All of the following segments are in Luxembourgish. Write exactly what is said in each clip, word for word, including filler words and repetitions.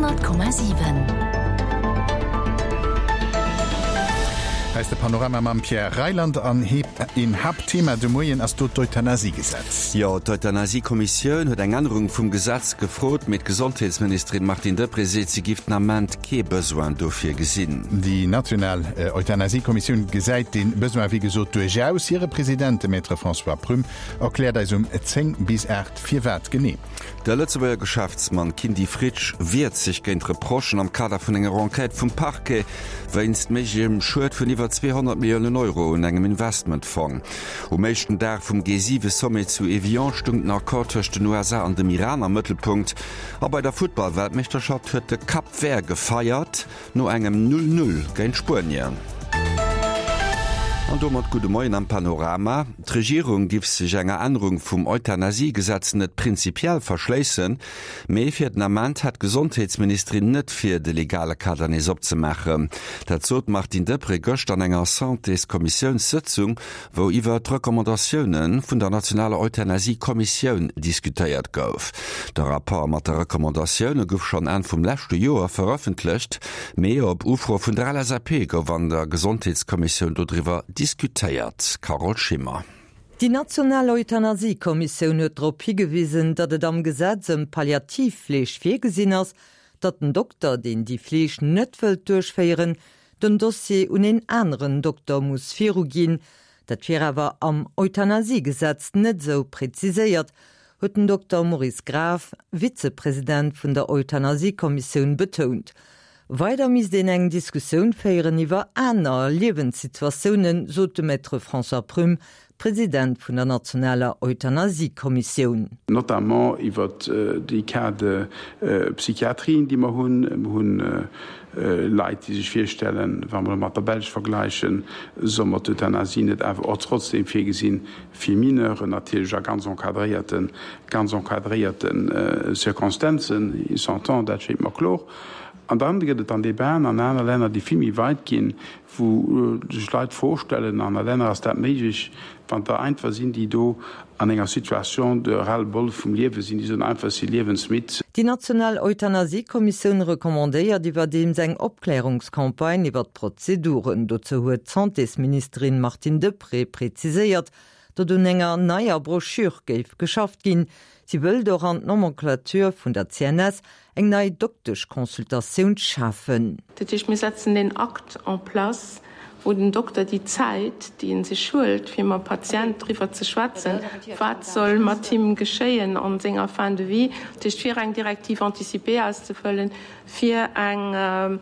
Honnert Komma siwen. Hei ass de Panorama mam Pierre Reyland an een Haaptthema de Moien ass do d'Euthanasiegesetz. Jo, d'Euthanasiekommissioun huet eng Ännerung vum Gesetz gefrot, mee d'Gesondheetsministerin Martine Deprez seet, si giff den Ament kee Besoin dofir gesinn. Déi national Euthanasiekommissioun gesäit dee Besoin wéi gesot duerchaus. Hire President, de Maître François Prüm, erkläert eis um zéng bis aacht firwat genee. De Lëtzebuerger Geschäftsmann Kindy Fritsch wiert sech géint Reprochen am Kader vun enger Enquête vum Parquet wéinst méiglechem Schued vun iwwer zweehonnert Milliounen Euro un engem Investmentfong. Um éischten Dag vum G siwe Sommet zu Evian stung den Accord tëscht den U S A an dem Iran am Mëttelpunkt. A bei der Futtball-Weltmeeschterschaft huet de Cap Vert gefeiert no engem Null Null géint Spuenien. An domat gudde Moien am Panorama. D'Regierung giff sech enger Ännerung vum Euthanasiegesetz net prinzipiell verschléissen, mee fir den Ament hätt d'Gesondheetsministerin net vir, de legale Kader nees opzemaachen. Dat sot d'Martine Deprez gëscht an enger Santéskommissiounssëtzung, wou iwwer d'Recommandatioune vun der nationaler Euthanasiekommissioun diskutéiert gouf. De Rapport mat de Recommandatioune gouf schonn Enn vum leschte Joer verëffentlecht, mee op Ufro vun der L S A P gouf an der Gesondheetskommissioun dodriwwer diskutéiert. Carole Schimmer. Déi national Euthanasiekommissioun huet drop higewisen, datt et am Gesetz ëm Palliativfleeg virgesinn ass, datt den Dokter, deen déi Fleeg net wëllt duerchféieren, den Dossier un een aneren Dokter muss viruginn. Dat wier awer am Euthanasiegesetz net esou präziséiert, huet den Dokter Maurice Graf, Vizepresident vun der Euthanasiekommissioun, betount. Weider misst een eng Diskussioun féieren iwwer aner Liewenssituatiounen, sot de Maître François Prüm, President vun der nationaler Euthanasiekommissioun. Notamment iwwer déi Cas de Psychiatrien, déi mer hunn. Mer hunn Leit, déi sech virstellen, wa mer mat der Belsch vergläichen, soll mer d'Euthanasie net awer och trotzdem virgesinn fir Mineuren, natierlech a ganz encadréierten, ganz encadréierten Circonstanzen, il s'entend, dat schéngt mer kloer. An dann gëtt et an Debatten an aner Länner, déi vill méi weit ginn, wou sech Leit vorstellen, an aner Länner ass dat méiglech, wann da einfach sinn, déi do an enger Situation de ras-le-bol vum Liewe sinn, déi soen einfach, si liewensmidd. Déi national Euthanasiekommissioun recommandéiert iwwerdeems eng Opklärungscampagne iwwer d'Prozeduren. Dozou huet d'Santésministerin Martine Deprez präziséiert, datt un enger neier Broschür géif geschafft ginn. Si wëllt och an d'Nomenclature vun der C N S eng nei Dokteschconsultatioun schafen. Dat heescht, mir setzen den Akt en place, wou den Dokter déi Zäit, déi en sech huelt, fir mam Patient driwwer ze schwätzen, wat soll mat him geschéien an senger Fin de vie, dat heescht, fir eng Directive anticipée auszefëllen, fir eng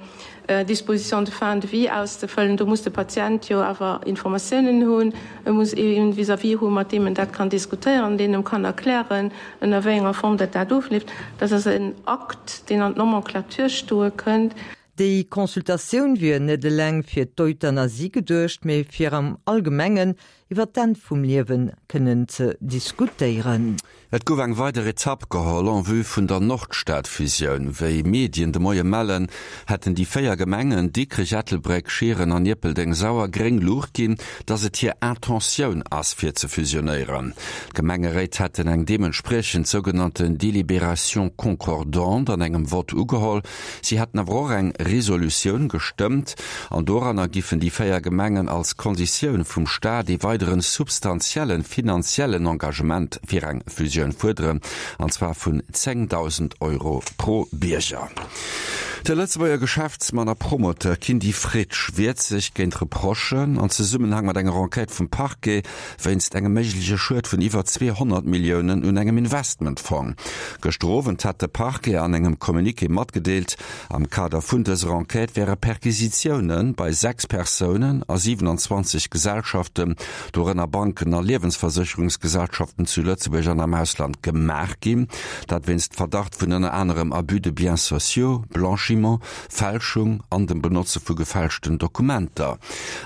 Disposition de fin de vie auszefëllen, do muss de Patient jo awer Informatiounen hunn, e muss een vis-à-vis hu mat deem en dat kann diskutéieren, deen em kann erklären, ënner wéi enger Form dat dat ofleeft. Dat ass en Akt, deen an d'Nomenclature stoe kënnt. Déi Consultatioun wier net eleng fir d'Euthanasie geduecht, mee fir am Allgemengen iwwer d'Enn vum Liewen kënnen ze diskutéieren. Et gouf eng weider Etapp geholl en vue vun der Nordstadfusioun. Wéi Medien de Moie mellen, hätten déi véier Gemengen Dikrech, Ettelbréck, Schieren an Ierpeldeng-Sauer gréng Luucht ginn, datt et hir Intentioun ass fir ze fusionéieren. D'Gemengeréit hätten eng deementspriechend sougenannten Délibération concordante an engem Vott ugeholl. Si hätten awer och eng Resolutioun gestëmmt an doranner giffen déi véier Gemengen als Konditioun vum Staat ee weideren substantiellen finanziellen Engagement fir eng Fusioun fuerderen, an zwar vun zéngdausend Euro pro Bierger. De Lëtzebuerger Geschäftsmann a Promoteur Kindy Fritsch wiert sech géint Reprochen an Zesummenhang mat enger Enquête vum Parquet wéinst engem méigleche Schued vun iwwer zweehonnert Milliounen un engem Investmentfong. Gëschter Owend hat de Parquet an engem Communiqué matgedeelt, am Kader vun dëser Enquête wäre Perquisitiounen bei sechs Persounen a siewenundzwanzeg Gesellschaften, dorënner Banken a Liewensversécherungsgesellschaften zu Lëtzebuerg an am Ausland gemaach ginn. Dat wéinst Verdacht vun ënner anerem Abus de biens sociaux, Blanchiment Blanchiment, Fälschung an dem Benotze vu gefälschten Dokumenter.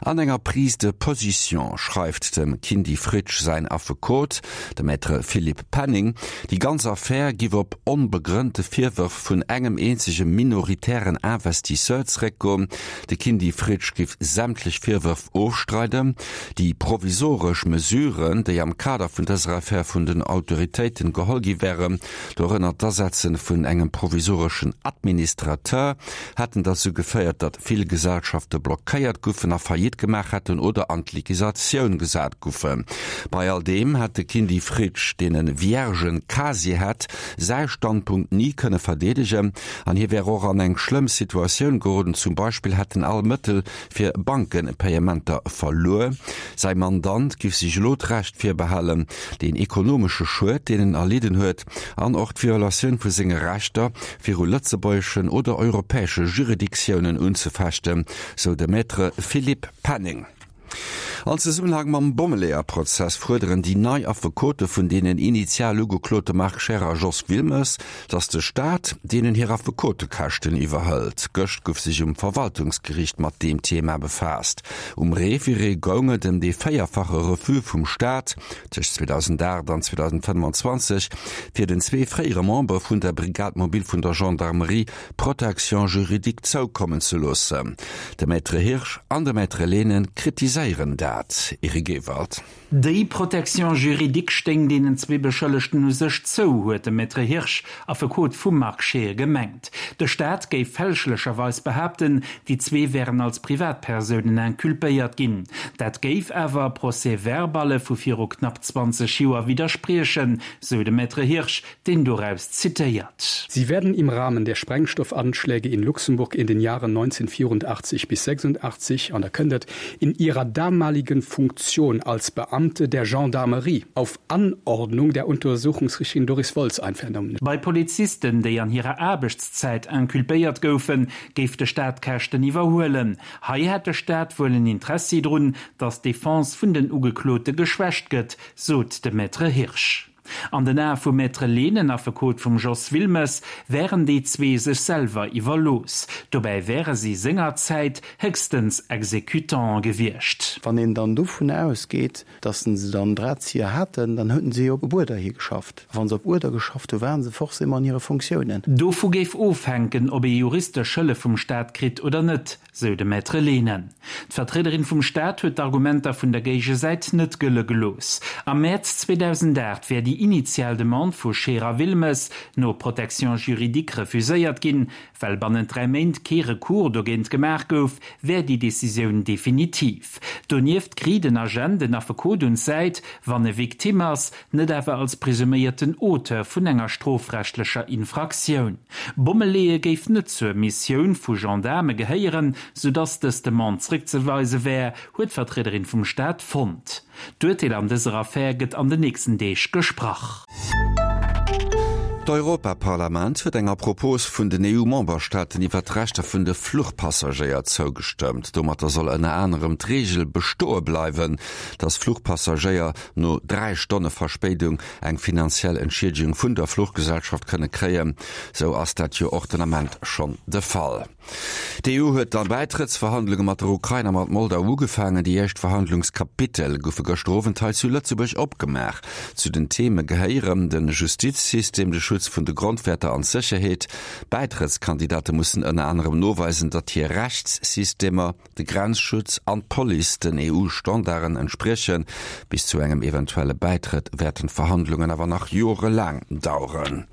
An enger Prise de position schreift dem Kindy Fritsch säin Affekot, de Maître Philippe Penning, déi ganz Affär giff op onbegrënnte Virwërf vun engem eenzege minoritären Investisseur zeréckgoen. De Kindy Fritsch giff sämtlech Virwërf ofstreiden. Déi provisoresch Mesuren, déi am Kader vun dëser Affär vun den Autoritéiten geholl gi wären, dorënner d'Asetze vun engem provisoreschen Administrateur, hätten derzou geféiert, datt vill Gesellschafte blockéiert goufen a Faillite gemaach hätten oder an d'Liquisatioun gesat goufen. Bei all deem hätt de Kindy Fritsch, deen e vierge Casier hätt, säi Standpunkt ni kënne verdeedegen an hie wär och an eng schlëmm Situatioun geroden, zum Beispill hätt en all Mëttel fir Bankenpayementer verluer. Säi Mandant giff sech elo d'Recht virbehalen, deen ekonomesche Schued, deen en erlidden huet, an och d'Violatioun vu senge Rechter viru lëtzebuergeschen oder europäesche Juridictiounen unzefechten, sou de Maître Philippe Penning. An Zesummenhang mam Bommeleeër-Prozess fuerderen déi nei Affekote vun deenen initial Ugeklote Marc Scheer a Jos Wilmes, datt de Staat deenen hir Affekotekäschten iwwerhëlt. Gëscht gouf sech um Verwaltungsgeriicht mat deem Thema befaasst. Um Référé goung et ëm dee véierfache Refus vum Staat tëscht zweedausendacht an zweedausendfënnefanzwanzeg, fir den zwee fréiere Membere vun der Brigade mobile vun der Gendarmerie Protection juridique zoukommen ze loossen. De Maître Hirsch an de Maître Lehnen kritiséieren dat. Eric Ewald. Déi Protection juridique stéing deenen zwee Beschëllegten u sech zou, huet de Maître Hirsch, Affekot vum Marc Scheer, gemengt. De Staat géif fälschlecherweis behaapten, déi zwee wären als Privatpersounen inculpéiert ginn. Dat géif awer Procès-verballe vu viru knapp zwanzeg Joer widderspriechen, sou de Maître Hirsch, deen doraus zitéiert. Sie werden im Rahmen der Sprengstoffanschläge in Luxemburg in den Jahren neunzehnhundertvierundachtzig bis sechsundachtzig an der Këndert in ihrer damaligen Funktion als Beamte der Gendarmerie auf Anordnung der Untersuchungsrichterin Doris Woltz einvernommen. Bei Polizisten, déi an hirer Aarbechtszäit inculpéiert goufen, géif de Staat d'Käschten iwwerhuelen. Hei hätt de Staat wuel en Interessi drun, datt d'Defense vun den Ugeklote geschwächt gëtt, sot de Maître Hirsch. An den Ae vum Maître Lehnen, Affekot vum Jos Wilmes, wären déi zwee sech selwer iwwerlooss. Dobäi wäre si sengerzäit héchstens Exécutant gewiescht. Wann een dann dovun ausgeet, datt se dann Drahtzieher haten, dann hutten se jo op Uerder hi geschafft. A wa se op Uerder geschafft hu, waren se forcément an hire Fonctiounen. Dovu géif ofhänken, ob ee juristesch Hëllef vum Staat kritt oder net, sou de Maître Lehnen. D'Vertriederin vum Staat huet d'Argumenter vun der Géigesäit net gëlle gelooss. Am Mäerz zweedausendacht wär déi initial Demande vu Scheer a Wilmes no Protection juridique refuséiert ginn. Well bannent dräi Méint kee Recours dogéint gemaach gouf, wär déi Decisioun definitiv. Donieft kritt den Agent en Affekot un d'Säit, wann e Victime ass, net awer als presuméierten Auteur vun enger strofrechtlecher Infraktioun. Bommeleeë géif net zur Missioun vu Gendaarme gehéieren, soudass dës Demande zréckzeweise wär, huet d'Vertriederin vum Staat fonnt. D'Urteel an dëser Affär gëtt an den nächsten Deeg gesprach. D'Europaparlament huet enger Propos vun den E U-Memberstaaten iwwer d'Rechter vun de Fluchpassagéier zougestëmmt. Domatter soll ënner anerem d'Reegel bestoe bleiwen, datt Fluchpassagéier no dräi Stonne Verspéidung eng finanziell Entschiedegung vun der Fluchgesellschaft kënne kréien. Sou ass dat jo och den Ament schonn de Fall. D'E U huet d'Bäitrëttsverhandlunge mat der Ukrain a mat Moldau ugefaangen. Déi éischt Verhandlungskapitel goufe gëschter Owend hei zu Lëtzebuerg opgemaach. Zu den Theeme gehéieren de Justizsystem, de Schutz vun de Grondwäerter an d'Sécherheet. D'Bäitrëttskandidate mussen ënner anerem noweisen, datt hir Rechtssystemer, de Grenzschutz an d'Police den E U-Standarden entspriechen. Bis zu engem eventuelle Bäitrëtt wäerten d'Verhandlungen awer nach jorelaang daueren.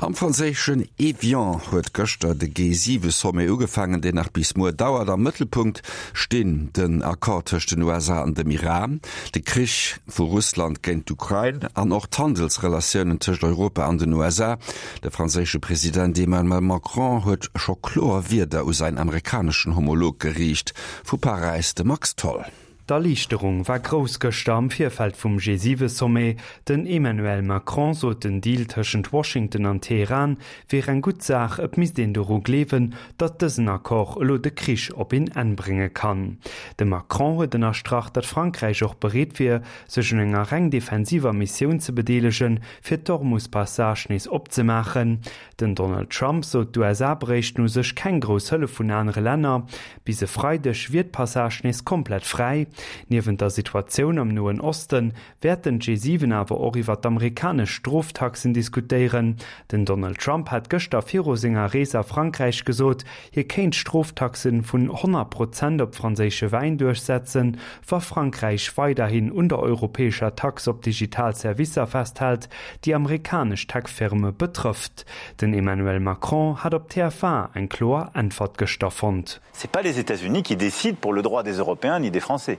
Am franséischen Évian huet gëschter de G siwe Sommet ugefaangen, deen nach bis muer dauert. Am Mëttelpunkt stinn den Accord tëscht den U S A an dem Iran, de Krich vu Russland géint d'Ukrain an och d'Handelsrelatiounen tëscht Europa an den U S A. De franséische President Emmanuel Macron huet scho kloer Wierder u säin amerikaneschen Homolog geriicht. Vu Paräis de Max Tholl. D'Erliichterung war grouss gëschter am Virfeld vum G siwe Sommet. Den Emmanuel Macron sot, den Deal tëschent Washington an Teheran wier eng gutt Saach, et misst een doru gleewen, datt dësen Accord elo de Krich op een Enn brénge kann. De Macron huet ënnerstrach, datt Frankräich och bereet wier, sech un enger reng defensiver Missioun ze bedeelegen, fir d'Hormus-Passage nees opzemaachen. Den Donald Trump sot, d'USA bréichten u sech keng grouss Hëllef vun anere Länner. Bis e Freideg wier d'Passage nees komplett fräi. Niewent der Situatioun am Noen Oste wäerten d'G siwen awer och iwwer d'amerikanesch Stroftaxen diskutéieren. Den Donald Trump hat gëschter viru senger Rees a Frankräich gesot, hie kéint Stroftaxe vun honnert Prozent op franséische Wäin duerchsetzen, wa Frankräich weiderhin un der europäescher Tax op digital Servicer festhält, déi amerikanesch Tech-Firme betrëfft. Den Emmanuel Macron hat op T F un eng kloer Äntwert gëschter fonnt. C'est pas les États-Unis qui décident pour le droit des Européens ni des Français.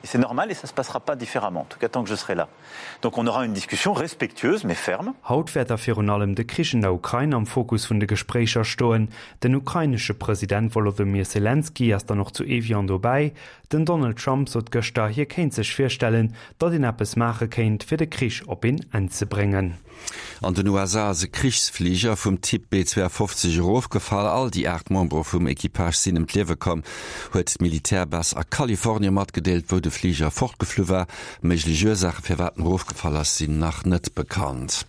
Et c'est normal et ça se passera pas différemment, en tout cas tant que je serai là. Donc on aura une discussion respectueuse mais ferme. Haut wäert da virun allem de Krich an der Ukrain am Fokus vun de Gespréicher stoen. Den ukrainesche President Wolodymyr Selenskyj ass dann och zu Evian dobäi. Den Donald Trump sot gëschter, hie kéint sech virstellen, datt een eppes maache kéint, fir de Krich op een Enn ze bréngen. An den U S A ass e Krichsfliger vum Typ B zwouafofzeg erofgefall. All déi aacht Membere vum Equipage sinn ëm d'Liewe komm, huet d'Militärbase a Kalifornie matgedeelt, wou de Fliger fortgeflu war. Méiglech Ursaache firwat en erofgefall ass, sinn nach net bekannt.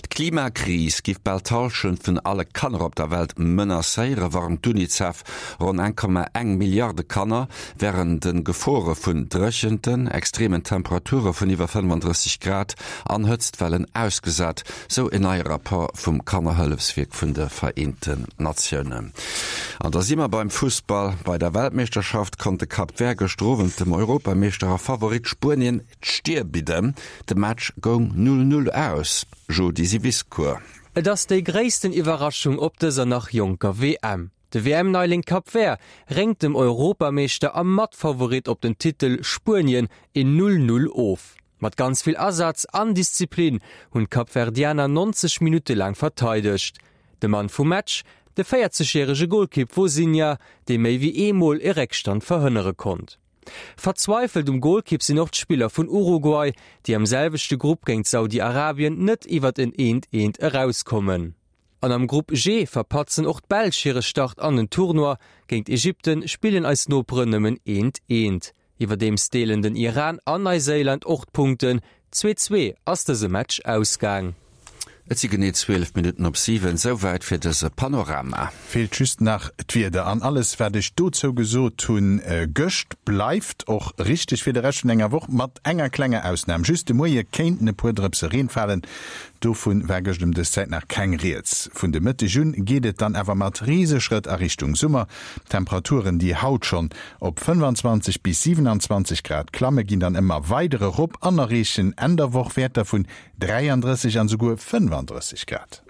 D'Klimakris giff bal d'Hallschent vun alle Kanner op der Welt menacéieren, warnt d'UNICEF. Ronn eng Komma eng Milliarde Kanner wären de Gefore vun Dréchenten, extremen Temperature vun iwwer fënnefandrësseg Grad an Hëtztwellen ausgesat, sou en neie Rapport vum Kannerhëllefswierk vun de Vereenten Natiounen. An da si mer beim Fussball. Bei der Weltmeeschterschaft konnt de Cap Vert gëschter Owend dem Europameeschter a Favorit Spuenien d'Stier bidden. De Match goung null null aus. Jodi Siviscour. Et ass déi gréissten Iwwerraschung op dëser nach jonker W M. De W M-Neiling Cap Vert réngt dem Europameeschter a Matfavorit op den Titel Spuenien een null null of. Mat ganz vill Asaz an Disziplin hunn d'Kapverdianer neunzeg Minutte lang verteidegt. De Mann vum Match, de véierzegjärege Golkipp Vozinha, dee méi wéi eemol e Réckstand verhënnere konnt. Verzweifelt um Golkipp sinn och d'Spiller vun Uruguay, déi am selwechte Grupp géint Saudi-Arabien net iwwer en eent eent erauskommen. An am Grupp G verpatzen och d'Belsch hire Start an den Tournoi, géint Ägypten spillen eis Noperen nëmmen eent eent. Iwwerdeems deelen den Iran an Neuseeland och d'Punkten, zwee zwee ass dëse Match ausgaang. Et si genee zwielef Minutten op siwen, souwäit fir dëse Panorama. Feelt just nach d'Wieder an alles, wat ech dozou gesot hunn, äh, gëscht bleift och richteg fir de Rescht vun enger Woch mat enger klenger Ausnam. Just de Moie kéinten e puer Drëpse Reen falen. Dovun war gëscht ëm dës Zäit nach keng Rieds. Vun de Mëtteg un geet et dann awer mat Rieseschrëtt a Richtung Summer. Temperaturen, déi haut schonn op fënnwanzwanzeg bis siewenundzwanzeg Grad klamme, ginn dann ëmmer weider erop an erreechen Enn der Woch Wäerter vun dräianddrësseg an souguer fënnwanddrësseg Grad.